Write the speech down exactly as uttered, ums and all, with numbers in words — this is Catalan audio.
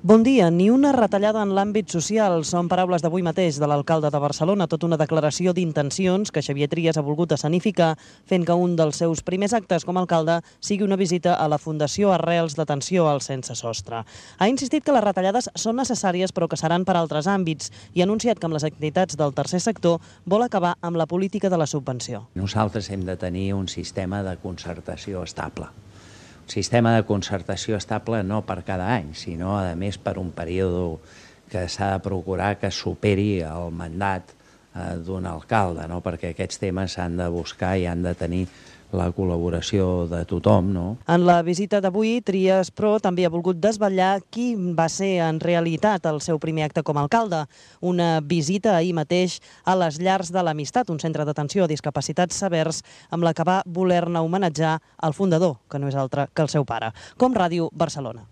Bon dia. Ni una retallada en l'àmbit social. Són paraules d'avui mateix de l'alcalde de Barcelona, tota una declaració d'intencions que Xavier Trias ha volgut escenificar, fent que un dels seus primers actes com a alcalde sigui una visita a la Fundació Arrels d'Atenció al Sense Sostre. Ha insistit que les retallades són necessàries però que seran per altres àmbits i ha anunciat que amb les activitats del tercer sector vol acabar amb la política de la subvenció. Nosaltres hem de tenir un sistema de concertació estable. Un sistema de concertació estable no per cada any, sinó, a més, per un període que s'ha de procurar que superi el mandat d'un alcalde, no? Perquè aquests temes s'han de buscar i han de tenir la col·laboració de tothom, no? En la visita d'avui, Trias, però, també ha volgut desvetllar qui va ser en realitat el seu primer acte com a alcalde. Una visita ahir mateix a les Llars de l'Amistat, un centre d'atenció a discapacitats severs, amb la que va voler-ne homenatjar el fundador, que no és altre que el seu pare. Com Ràdio Barcelona.